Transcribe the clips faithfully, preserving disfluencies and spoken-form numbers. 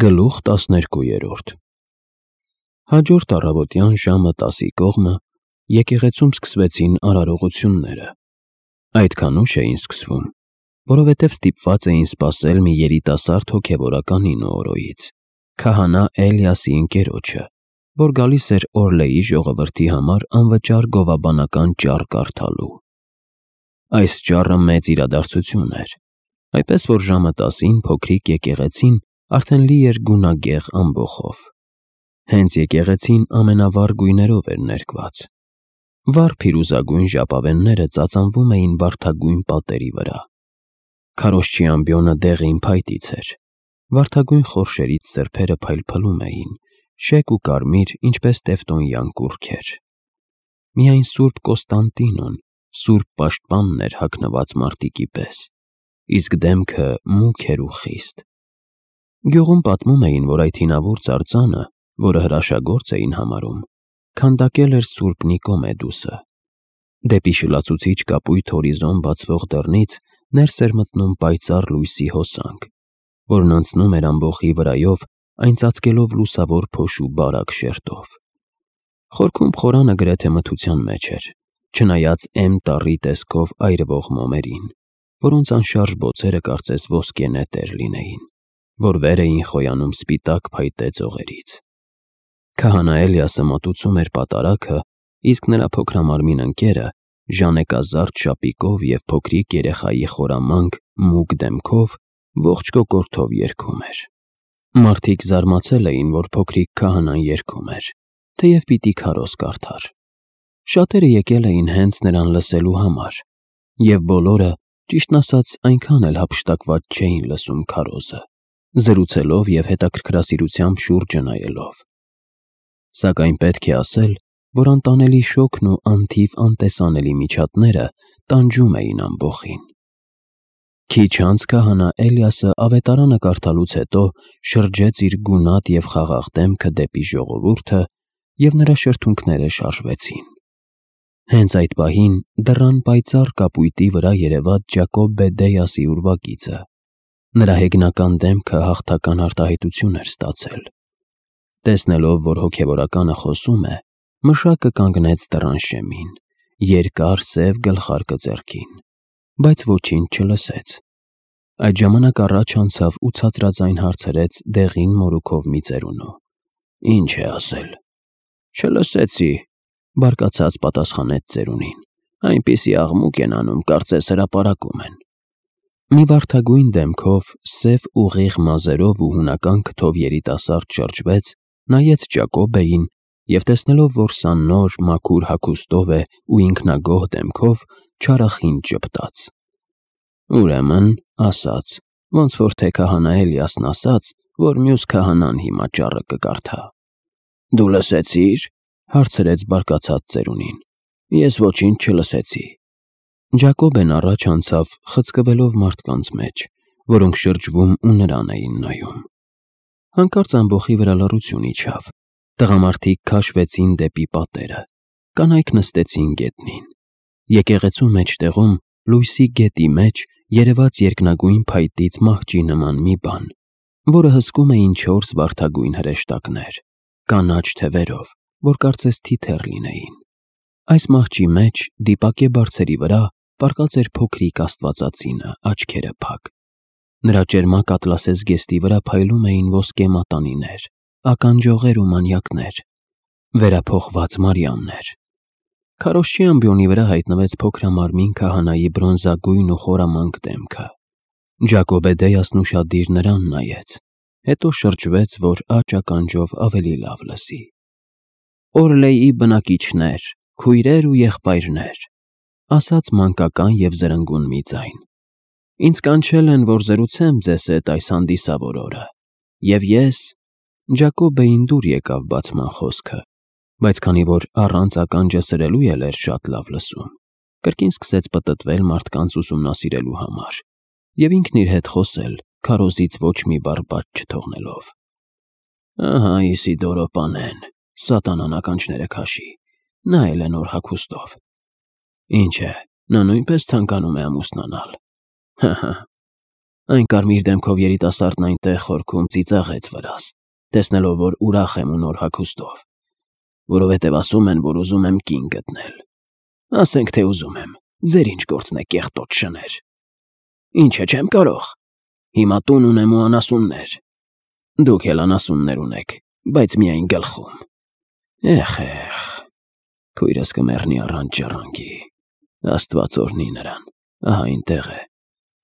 Գլուխ տասներկուերորդ Հաջորդ առավոտյան ժամը տասի կողմը եկեղեցում սկսվեցին արարողությունները։ Այդքան ուշ էին սկսվում, որովհետև ստիպված էին սպասել մի երիտասարդ հոգևորականի Նոորոյից, քահանա Էլիասի ընկերոջը, որ գալիս էր Օրլեի ժողովրդի համար անվճար գովաբանական ճառ կարդալու։ Այս ճառը մեծ իրադարձություն էր, այնպես որ ժամը տասին փոքրիկ եկեղեցին արդեն լի էր գունագեղ ամբոխով։ Հենց եկեղեցին ամենավառ գույներով էր ներկված։ Վառ փիրուզագույն ժապավենները ծածանվում էին վարդագույն պատերի վրա։ Քարոզչի ամբիոնը դեղին փայտից էր։ Վարդագույն խորշերից սրբերը փայլփլում էին, շեկ ու կարմիր, ինչպես տևտոնյան կուռքեր։ Միայն Սուրբ Կոստանդինոն, սուրբ պաշտպանն էր հագնված մարտիկի պես, իսկ դեմքը մուգ էր ու խիստ։ Գյուղում պատմում էին, որ այդ հինավուրց արձանը, որը հրաշագործ էին համարում, քանդակել էր Սուրբ Նիկոմեդուսը։ Դեպի շլացուցիչ կապույտ հորիզոն բացվող դռնից ներս էր մտնում պայծառ լույսի հոսանք, որն անցնում էր ամբոխի վրայով, այն ծածկելով լուսավոր փոշու բարակ շերտով։ Խորքում խորանը գրեթե մթության մեջ էր, չնայած էմ տառի տեսքով այրվող մոմերին, որոնց անշարժ բոցերը կարծես ոսկե նետեր լինեին, որ վեր էին խոյանում սպիտակ փայտե ծողերից։ Քահանա Էլիասը մատուցում էր պատարագը, իսկ նրա փոքրամարմին ընկերը, ժանեկազարդ շապիկով և փոքրիկ երեխայի խորամանկ, մուգ դեմքով, ողջ կոկորդով երգում էր։ Մարդիկ զարմացել էին, որ փոքրիկ քահանան երգում էր, թեև պիտի քարոզ կարդար։ Շատերը եկել էին հենց նրան լսելու համար, և բոլորը, ճիշտն ասած, այնքան էլ հափշտակված չէին լսում քարոզը, զրուցելով և հետաքրքրասիրությամբ շուրջը նայելով։ Սակայն պետք է ասել, որ անտանելի շոգն ու անթիվ անտեսանելի միջատները տանջում էին ամբոխին։ Քիչ անց քահանա Էլիասը ավետարանը կարդալուց հետո շրջեց իր գունատ և խաղաղ դեմքը դեպի ժողովուրդը, և նրա շրթունքները շարժվեցին։ Հենց այդ պահին դռան պայծառ կապույտի վրա երևաց Ջակոբ Բեդեյասի ուրվագիծը։ Նրա հեգնական դեմքը հաղթական արտահայտություն էր ստացել։ Տեսնելով, որ հոգևորականը խոսում է, մշակը կանգնեց դռան շեմին, երկար սև գլխարկը ձեռքին, բայց ոչինչ չլսեց։ Այդ ժամանակ առաջ անցավ ու ցածրաձայն հարցրեց դեղին մորուքով մի ծերունու. «Ինչ է ասել»։ «Չլսեցի», բարկացած պատասխանեց ծերունին։ «Այնպիսի աղմուկ են անում, կարծես հրապարակում են»։ Մի վարդագույն դեմքով, սև ուղիղ մազերով ու հունական քթով երիտասարդ շրջվեց, նայեց Ջակոբեին և տեսնելով, որ սա նոր, մաքուր հագուստով է ու ինքնագոհ դեմքով, չարախինջ ժպտաց։ Ուրեմն, ասաց, ոնց որ թե քահանա Էլիասն ասաց, որ մյուս քահանան հիմա ճառը կկարդա։ «Դու լսեցի՞ր», հարցրեց բարկացած ծերունին։ «Ես ոչինչ չլսեցի»։ Ջակոբեն առաջ անցավ, խցկվելով մարդկանց մեջ, որոնք շրջվում ու նրան էին նայում։ Հանկարծ ամբոխի վրա լռություն իջավ։ Տղամարդիկ քաշվեցին դեպի պատերը, կանայք նստեցին գետնին։ Եկեղեցու մեջտեղում, լույսի գետի մեջ, երևաց երկնագույն փայտից մահճի նման մի բան, որը հսկում էին չորս վարդագույն հրեշտակներ, կանաչ թևերով, որ կարծես թիթեռ լինեին։ Այս մահճի մեջ, դիպակե բարձերի վրա, պառկած էր փոքրիկ աստվածածինը, աչքերը փակ։ Նրա ճերմակ ատլասե զգեստի վրա փայլում էին ոսկե մատանիներ, ականջողեր ու մանյակներ, վերափոխված Մարիամներ։ Քարոզչի ամբիոնի վրա հայտնվեց փոքրամարմին քահանայի բրոնզագույն ու խորամանկ դեմքը։ Ջակոբ Բեդեյասն ուշադիր նրան նայեց, հետո շրջվեց, որ աջ ականջով ավելի լավ լսի։ «Օրլեի բնակիչներ, քույրեր ու եղբայրներ», ասաց մանկական և զրնգուն մի ձայն։ «Ինձ կանչել են, որ զրուցեմ ձեզ հետ այս հանդիսավոր օրը, և ես…» Ջակոբեին դուր եկավ բացման խոսքը, բայց քանի որ առանց ականջը սրելու էլ էր շատ լավ լսում, կրկին սկսեց պտտվել մարդկանց ուսումնասիրելու համար և ինքն իր հետ խոսել, քարոզից ոչ մի բառ բաց չթողնելով։ «Ահա Իսիդորո պանեն, սատանան ականջները քաշի, նա էլ է նոր հագուստով։ Ինչ է, նա նույնպես ցանկանում է ամուսնանալ։ Հը՛֊հը՛։ Այն կարմիր դեմքով երիտասարդն այնտեղ խորքում ծիծաղեց վրաս, տեսնելով, որ ուրախ եմ ու նոր հագուստով, որովհետև ասում են, որ ուզում եմ կին գտնել։ Ասենք թե ուզում եմ, ձեր ինչ գործն է կեղտոտ շներ։ Ինչ է, չեմ կարող։ Հիմա տուն ունեմ ու անասուններ։ Դուք էլ անասուններ ունեք, բայց միայն գլխում։ Էխ, էխ, քույրս կմեռնի առանց ջռանքի։ Աստված օրհնի նրան, ահա այնտեղ է,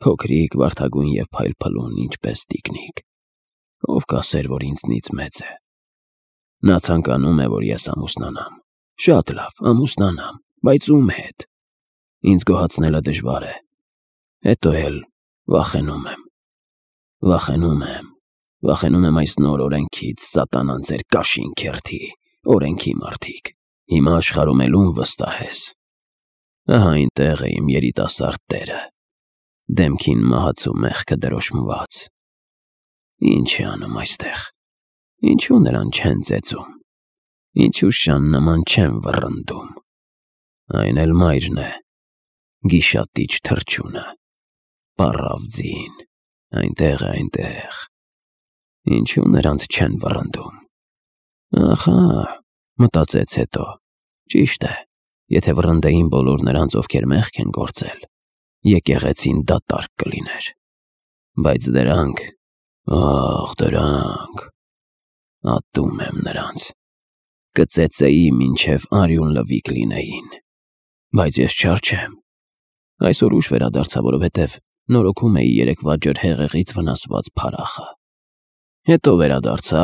փոքրիկ, վարդագույն և փայլփլուն, ինչպես տիկնիկ, ով կասեր, որ ինձնից մեծ է։ Նա ցանկանում է, որ ես ամուսնանամ, շատ լավ, ամուսնանամ, բայց ում հետ։ Ինձ գոհացնելը դժվար է, հետո էլ վախենում եմ, վախենում եմ, վախենում եմ այս նոր օրենքից, սատանան ձեր կաշին քերթի, օրենքի մարդիկ, հիմա աշխարհում էլ ում վստահես։ Ահա այնտեղ է իմ երիտասարդ տերը, դեմքին մահացու մեղքը դրոշմված։ Ինչ է անում այստեղ, ինչու նրան չեն ծեծում, ինչու շան նման չեն վռնդում։ Այն էլ մայրն է, գիշատիչ թռչունը, պառավ ձին, այնտեղ է, այնտեղ, ինչու նրանց չեն վռնդում։ Ախա, մտածեց հետո, ճիշտ է, եթե վռնդեին բոլոր նրանց, ովքեր մեղք են գործել, եկեղեցին դատարկ կլիներ, բայց դրանք, ախ, դրանք, ատում եմ նրանց, կծեծեի մինչև արյուն լվիկ լինեին, բայց ես չար չեմ, այսօր ուշ վերադարձա, որովհետև նորոգում էի երեկվա ջրհեղեղից վնասված փարախը։ Հետո վերադարձա,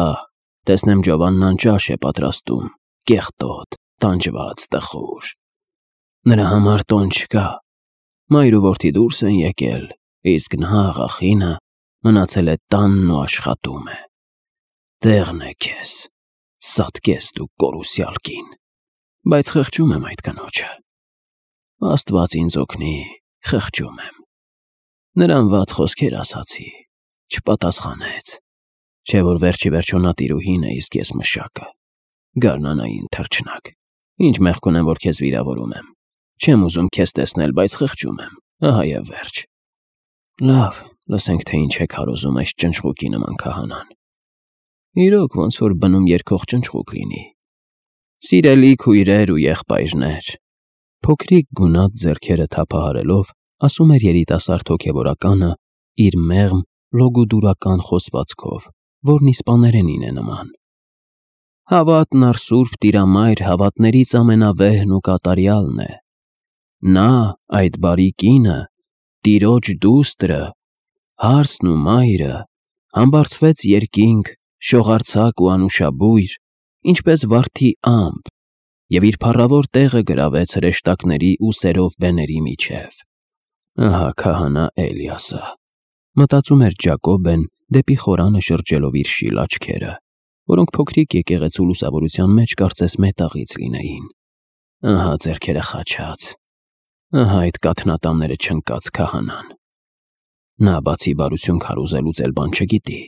տեսնեմ Ջովաննան ճաշ է պատրաստում, կեղտոտ, տանջված, տխուր։ Նրա համար տոն չկա, մայր ու որդի դուրս են եկել, իսկ նա, աղախինը, մնացել է տանն ու աշխատում է։ Տեղն է քեզ, սատկես դու կորուսյալ կին, բայց խղճում եմ այդ կնոջը։ Աստված ինձ օգնի, խղճում եմ։ Նրան վատ խոսքեր ասացի, չպատասխանեց, չէ որ վերջի վերջո նա տիրուհին է, իսկ ես մշակը, գարնանային թռչնակ, ինչ մեղք ունեմ, որ քեզ վիրավորում եմ, չեմ ուզում քեզ տեսնել, բայց խղճում եմ, ահա և վերջ։ Լավ, լսենք, թե ինչ է քարոզում այս ճնճղուկի նման քահանան։ Իրոք, ոնց որ բնում երգող ճնճղուկ լինի։ Սիրելի քույրեր ու եղբայրներ, փոքրիկ գունատ ձեռքերը թափահարելով, ասում էր երիտասարդ հոգևորականը իր մեղմ, լոգոդուրական խոսվածքով, որն իսպաներենին է նման։ Հավատն առ Սուրբ Տիրամայր հավատներից ամենավեհն ու կատարյալն է։ Նա, այդ բարի կինը, Տիրոջ դուստրը, հարսն ու մայրը, համբարձվեց երկինք, շողարձակ ու անուշաբույր, ինչպես վարդի ամպ, և իր փառավոր տեղը գրավեց հրեշտակների ու սերով բեների միջև։ Ահա քահանա Էլիասը, մտածում էր Ջակոբեն, դեպի խորանը շրջելով իր շիլ աչքերը, որոնք փոքրիկ եկեղեցու լուսավորության մեջ կարծես մետաղից լինեին։ Ահա ձեռքերը խաչած, ահա այդ կաթնատամները չընկած քահանան։ Նա բացի բարություն քարոզելուց էլ բան չգիտի,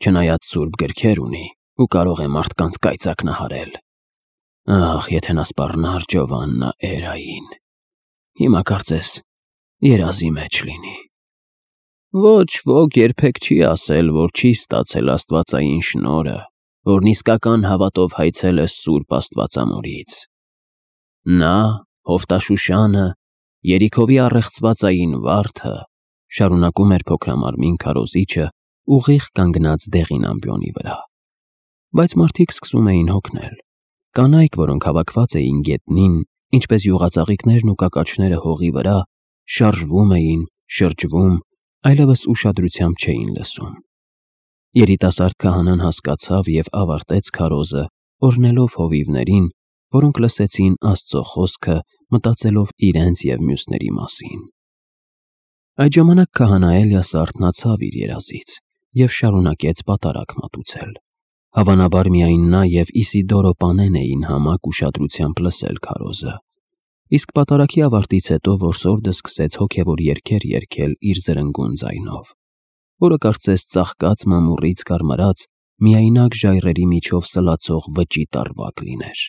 չնայած սուրբ գրքեր ունի ու կարող է մարդկանց կայծակնահարել։ Ախ, եթե նա սպառնար Ջովաննա Էրային, հիմա կարծես երազի մեջ լինի։ Ոչ ոք երբեք չի ասել, որ չի ստացել աստվածային շնորհը, որն իսկական հավատով հայցել է Սուրբ Աստվածամորից։ Նա, Հովտաշուշանը, Երիքովի առեղծվածային վարդը, շարունակում էր փոքրամարմին քարոզիչը, ուղիղ կանգնած դեղին ամբիոնի վրա։ Բայց մարդիկ սկսում էին հոգնել, կանայք, որոնք հավաքված էին գետնին, ինչպես յուղածաղիկներն ու կակաչները հողի վրա, շարժվում էին, շրջվում, այլևս ուշադրությամբ չէին լսում։ Երիտասարդ քահանան հասկացավ և ավարտեց քարոզը, օրհնելով հովիվներին, որոնք լսեցին Աստծո խոսքը, մտածելով իրենց և մյուսների մասին։ Այդ ժամանակ քահանա Էլիասը արթնացավ իր երազից և շարունակեց պատարագ մատուցել։ Հավանաբար միայն նա և Իսիդորո պանեն էին համակ ուշադրությամբ լսել քարոզը, իսկ պատարագի ավարտից հետո որսորդը սկսեց հոգևոր երգեր երգել իր զրնգուն ձայնով, որը կարծես ծաղկած մամուռից կարմրած, միայնակ ժայռերի միջով սլացող վճի տարվակ լիներ։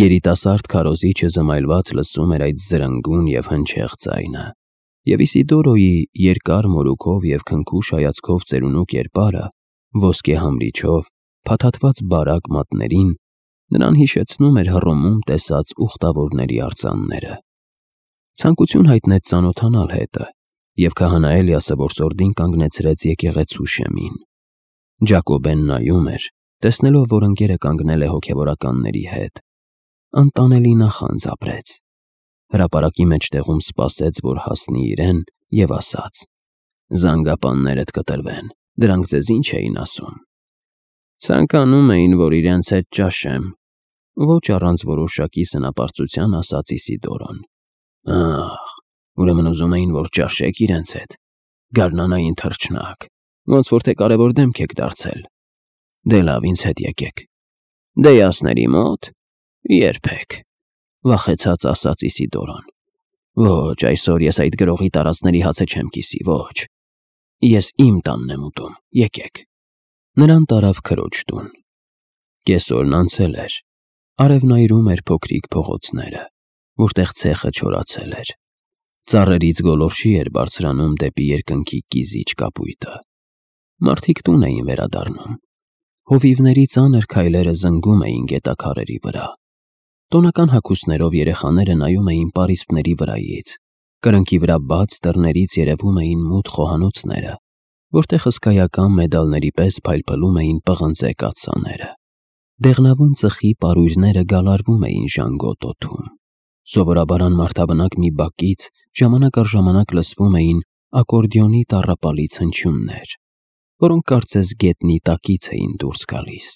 Երիտասարդ քարոզիչը զմայլված լսում էր այդ զրնգուն և հնչեղ ձայնը և Իսիդորոյի երկար մորուքով և քնքուշ հայացքով ծերունու կերպարը, ոսկե համրիչով, փաթաթված բարակ մատներին, նրան հիշեցնում էր Հռոմում տեսած ուխտավորների արձանները։ Ցանկություն հայտնեց ծանոթանալ հետը, և քահանա Էլիասը որսորդին կանգնեցրեց եկեղեցու շեմին։ Ջակոբեն նայում էր, տեսնելով, որ ընկերը կանգնել է հոգևորականների հետ։ Անտանելի նախանձ ապրեց։ Հրապարակի մեջտեղում սպասեց, որ հասնի իրեն, և ասաց. «Զանգապաններդ կտրվեն, դրանք ձեզ ինչ էին ասում»։ «Ցանկանում էին, որ իրենց հետ ճաշեմ», ոչ առանց որոշակի սնապարծության ասաց Իսիդորոն։ «Ահ, ուրեմն ուզում էին, որ ճաշեք իրենց հետ, գարնանային թռչնակ, ոնց որ թե կարևոր դեմք եք դարձել։ Դե լավ, ինձ հետ եկեք»։ «Դեյասների մո՞տ»։ «Երբեք», վախեցած ասաց Իսիդորոն։ «Ոչ, այսօր ես այդ գրողի տարածների հացը չեմ կիսի, ոչ։ Ես իմ տանն եմ ուտում, եկեք»։ Նրան տարավ քրոջ տուն։ Կեսօրն անցել էր։ Արևն այրում էր փոքրիկ փողոցները, որտեղ ցեխը չորացել էր։ Ծառերից գոլորշի էր բարձրանում դեպի երկնքի կիզիչ կապույտը։ Մարդիկ տուն էին վերադառնում։ Հովիվների ծանր քայլերը զնգում էին գետաքարերի վրա։ Տոնական հագուստներով երեխաները նայում էին պարիսպների վրայից։ Կրնկի վրա բաց դռներից երևում էին մութ խոհանոցները, որտեղ հսկայական մեդալների պես փայլփլում էին պղնձե կաթսաները։ Դեղնավուն ծխի պարույրները գալարվում էին ժանգոտ օդում։ Սովորաբար անմարդաբնակ մի բակից ժամանակ առ ժամանակ լսվում էին ակորդեոնի տառապալից հնչյուններ, որոնք կարծես գետնի տակից էին դուրս գալիս,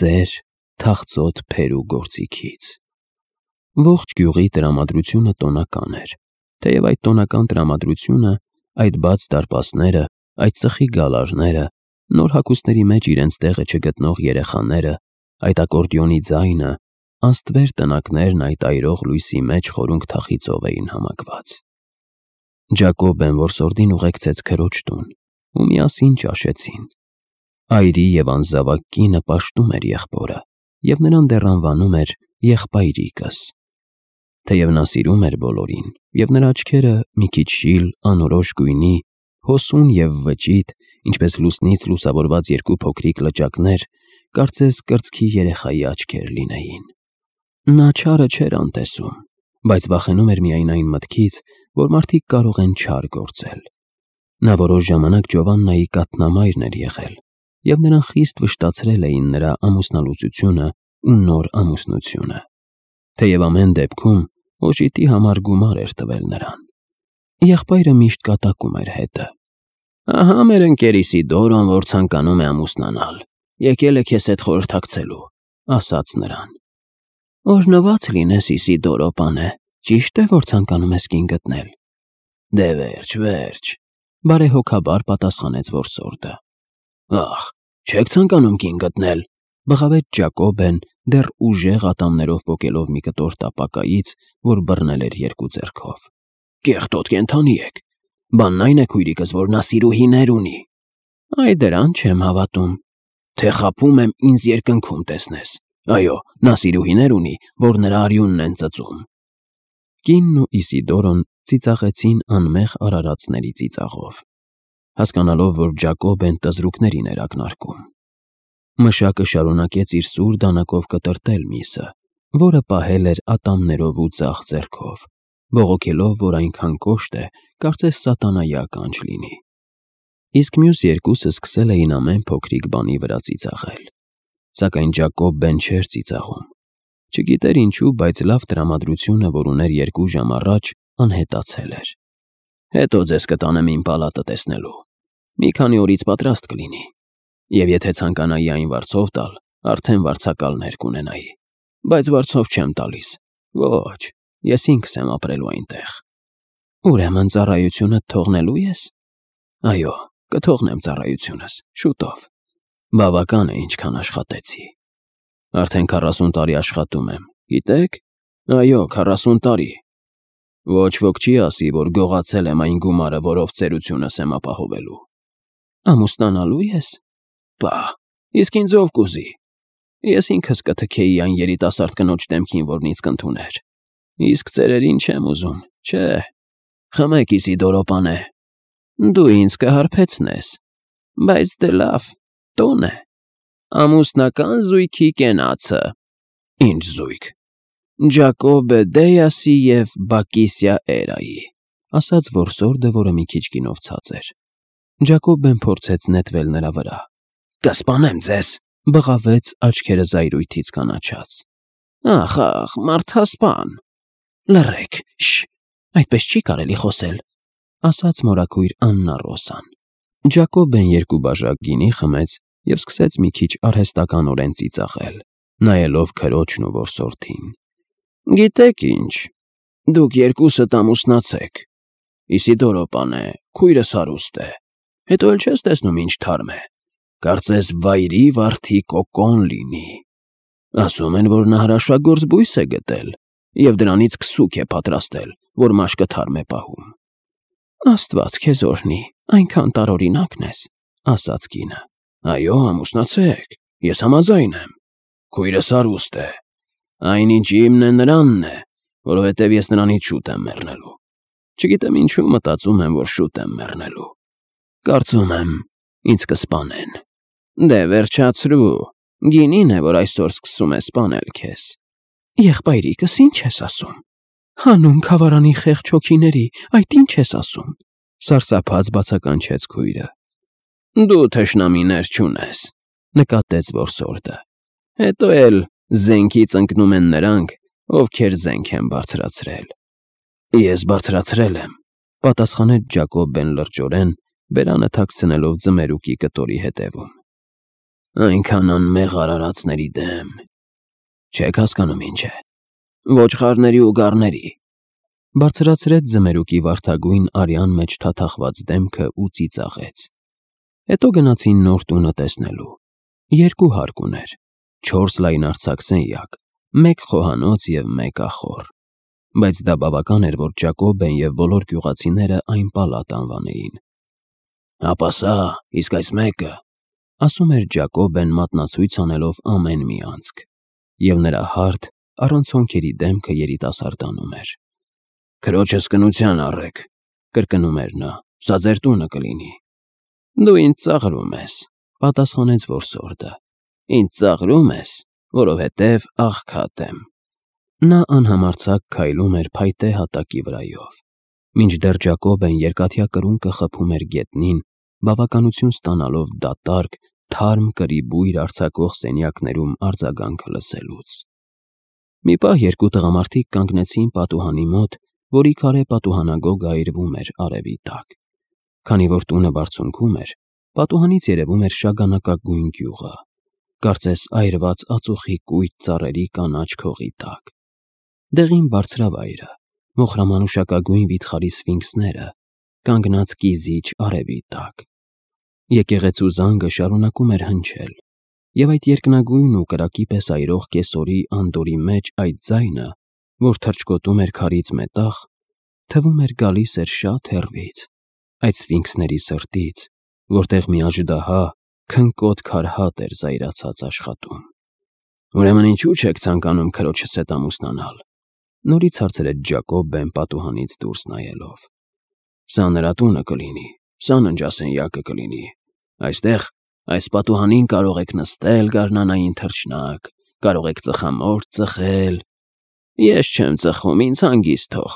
ծեր, թախծոտ փերու գործիքից։ Ողջ գյուղի տրամադրությունը տոնական էր, թեև այդ տոնական տրամադրությունը, այդ բաց դարպասները, այդ ծխի գալարները, նոր հագուստների մեջ իրենց տեղը չգտնող երեխաները, այդ ակորդեոնի ձայնը, անստվեր տնակներն այդ այրող լույսի մեջ խորունգ թախիծով էին համակված։ Ջակոբեն որսորդին ուղեկցեց քրոջ տուն, ու միասին ճաշեցին։ Այրի և անզավակ կինը պաշտում էր եղբորը, և նրան դեռ անվանում էր եղբայրիկս։ Թեև նա սիրում էր բոլորին, և նրա աչքերը մի քիչ շիլ, անորոշ գույնի, հոսուն և վճիտ, ինչպես լուսնից լուսավորված երկու փոքրիկ լճակներ, կարծես կրծքի երեխայի աչքեր լինեին։ Նա չարը չէր անտեսում, բայց վախենում էր միայն այն մտքից, որ մարդիկ կարող են չար գործել։ Նա որոշ ժամանակ Ջովաննայի կաթնամայրն էր եղել, և նրան խիստ վշտացրել էին նրա ամուսնալուծությունը ու նոր ամուսնությունը։ Թեև ամեն դեպքում օժիտի համար գումար էր տվել նրան։ Եղբայրը միշտ կատակում էր հետը։ «Ահա մեր ընկեր Իսիդորոն, որ ցանկանում է ամուսնանալ, եկել է քեզ հետ խորհրդակցելու», ասաց նրան։ «Օրհնված լինես, Իսիդորո պանե, ճիշտ է, որ ցանկանում ես կին գտնել»։ «Դե վերջ, վերջ», բարեհոգաբար պատասխանեց որսորդը։ «Ախ, չեք ցանկանում կին գտնել», բղավեց Ջակոբեն, դեռ ուժեղ ատամներով պոկելով մի կտոր տապակայից, որ բռնել էր երկու ձեռքով։ «Կեղտոտ կենդանի եք։ Բանն այն է, քույրիկս, որ նա սիրուհիներ ունի»։ «Այ դրան չեմ հավատում»։ «Թե խաբում եմ ինձ երկնքում տեսնես։ Այո, նա սիրուհիներ ունի, որ նրա արյունն են ծծում»։ Կինն ու Իսիդորոն ծիծաղեցին անմեղ արարածների ծիծաղով, հասկանալով, որ Ջակոբեն տզրուկներին էր ակնարկում։ Մշակը շարունակեց իր սուր դանակով կտրտել միսը, որը պահել էր ատամներով ու ձախ ձեռքով, բողոքելով, որ այնքան կոշտ է, կարծես սատանայի ականջ լինի։ Իսկ մյուս երկուսը սկսել էին ամեն փոքրիկ բանի վրա ծիծաղել։ Սակայն Ջակոբեն չէր ծիծաղում։ Չգիտեր ինչու, բայց լավ տրամադրությունը, որ ուներ երկու ժամ առաջ, անհետացել էր։ «Հետո ձեզ կտանեմ իմ պալատը տեսնելու։ Մի քանի օրից պատրաստ կլինի։ Եվ եթե ցանկանայի այն վարձով տալ, արդեն վարձակալներ կունենայի։ Բայց վարձով չեմ տալիս։ Ոչ, ես ինքս եմ ապրելու այնտեղ»։ «Ուրեմն ծառայությունդ թողնելու ես»։ «Այո, կթողնեմ ծառայությունս, շուտով։ Բավական է, ինչքան աշխատեցի։ Արդեն քառասուն տարի աշխատում եմ, գիտեք։ Այո, քառասուն տարի։ Ոչ ոք չի ասի, որ գողացել եմ այն գումարը, որով ծերությունս եմ ապահովելու»։ «Ամուսնանալու ես»։ «Պահ, իսկ ինձ ով կուզի։ Ես ինքս կթքեի այն երիտասարդ կնոջ դեմքին, որն ինձ կընդուներ։ Իսկ ծերերին չեմ ուզում, չէ»։ Խմեք, Իսիդորո պանե, դու ինձ կհարբեցնես, բայց դե լավ, տոն է, ամուսնական զույգի կենացը։ Ինչ զույգ։ Ջակոբե Դեյասի և Բակիսիա Էրայի, ասաց որսորդը, որը մի քիչ գինովցած էր։ Ջակոբեն փորձեց նետվել նրա վրա։ Կսպանեմ ձեզ, բղավեց աչքերը զայրույթից կանաչած։ Ախ, ախ, մարդասպան։ Լռեք, շ, այդպես չի կարելի խոսել, ասաց մորաքույր Աննա Ռոսան։ Ջակոբեն երկու բաժակ գինի խմեց և սկսեց մի քիչ արհեստականորեն ծիծաղել, նայելով քրոջն ու որսորդին։ Գիտեք ինչ, դուք երկուսդ ամուսնացեք։ Իսիդորո պանե, քույրս հարուստ է, հետո էլ չես տեսնում ինչ թարմ է, կարծես վայրի վարդի կոկոն լինի։ Ասում են, որ նա հրաշագործ բույս է գտել և դրանից քսուք է պատրաստել, որ մաշկը թարմ է պահում։ Աստված քեզ օրհնի, այնքան տարօրինակն ես, ասաց կինը։ Այո, ամուսնացեք, ես համաձայն եմ, քույրս հարուստ է, այնինչ իմն է նրանն է, որովհետև ես նրանից շուտ եմ մեռնելու։ Չգիտեմ ինչու մտածում եմ, որ շուտ եմ մեռնելու։ Կարծում եմ, ինձ կսպանեն։ Դե վերջացրու, գինին է, որ այսօր սկսում է սպանել քեզ։ Եղբայրիկս, ինչ ես ասում։ Հանուն քավարանի խեղճ հոգիների, այդ ինչ ես ասում, սարսափած բացականչեց քույրը։ Դու թշնամիներ չունես, նկատեց որսորդը։ Հետո էլ զենքից ընկնում են նրանք, ովքեր զենք են բարձրացրել։ Ես բարձրացրել եմ, պատասխանեց Ջակոբեն լրջորեն, բերանը թաքցնելով ձմերուկի կտորի հետևում։ Այնքան անմեղ արարածների դեմ։ Չեք հասկանում ինչ է։ Ոչխարների ու գառների։ Բարձրացրեց ձմերուկի վարդագույն արյան մեջ թաթախված դեմքը ու ծիծաղեց։ Հետո գնացին նոր տունը տեսնելու։ Երկու հարկ ուներ, չորս լայնարձակ սենյակ, մեկ խոհանոց և մեկ ախոռ։ Բայց դա բավական էր, որ Ջակոբեն և բոլոր գյուղացիները այն պալատ անվանեին։ Հապա սա, իսկ այս մեկը, ասում էր Ջակոբեն մատնացույց անելով ամեն մի անցք, և նրա հարթ, առանց հոնքերի դեմքը երիտասարդանում էր։ Քրոջս կնության առեք, կրկնում էր նա, սա ձեր տունը կլինի։ Դու ինձ ծաղրում ես, պատասխանեց որսորդը։ Ինձ ծաղրում ես, որովհետև աղքատ եմ։ Նա անհամարձակ քայլում էր փայտե հատակի վրայով, մինչդեռ Ջակոբեն երկաթյա կրունկը խփում էր գետնին, բավականություն ստանալով դատարկ, թարմ կրի բույր արձակող սենյակներում արձագանքը լսելուց։ Մի պահ երկու տղամարդիկ կանգնեցին պատուհանի մոտ, որի քարե պատուհանագոգը այրվում էր արևի տակ։ Քանի որ տունը բարձունքում էր, պատուհանից երևում էր շագանակագույն գյուղը, կարծես այրված ածուխի կույտ ծառերի կանաչ քողի տակ։ Դեղին բարձրավայրը, մոխրամանուշակագույն վիթխարի սֆինքսները, կանգնած կիզիչ արևի տակ։ Եկեղեցու զանգը շարունակում էր հնչել, և այդ երկնագույն ու կրակի պես այրող կեսորի անդորի մեջ այդ ձայնը, որ թռչկոտում էր քարից մետաղ, թվում էր գալիս էր շատ հեռվից, այդ սֆինքսների սրտից, որտեղ մի աժդահա, քնկոտ քարհատ էր զայրացած աշխատում։ Ուրեմն ինչու չեք ցանկանում քրոջս հետ ամուսնանալ, նորից հարցրեց Ջակոբեն պատուհանից դուրս նայելով։ Սա նրա տունը կլինի, սա ննջասենյակը կլինի, այստեղ, այս պատուհանին կարող եք նստել գարնանային թռչնակ, կարող եք ծխամորճ ծխել։ Ես չեմ ծխում, ինձ հանգիստ թող,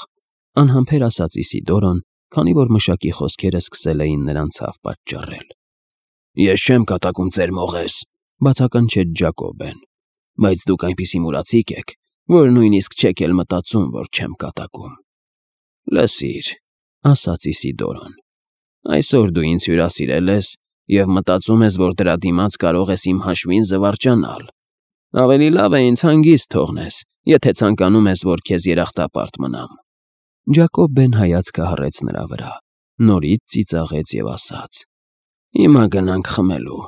անհամբեր ասաց Իսիդորոն, քանի որ մշակի խոսքերը սկսել էին նրան ցավ պատճառել։ Ես չեմ կատակում ձեր մողես, բացականչեց Ջակոբեն, բայց դուք այնպիսի մուրացիկ եք, որ նույնիսկ չեք էլ մտածում, որ չեմ կատակում։ Լսիր, ասաց Իսիդորոն, այսօր դու ինձ հյուրասիրել ես և մտածում ես, որ դրա դիմաց կարող ես իմ հաշվին զվարճանալ։ Ավելի լավ է ինձ հանգիստ թողնես, եթե ցանկանում ես, որ քեզ երախտապարտ մնամ։ Ջակոբեն հայացքը հառեց նրա վրա, նորից ծիծաղեց և ասաց. Հիմա գնանք խմելու։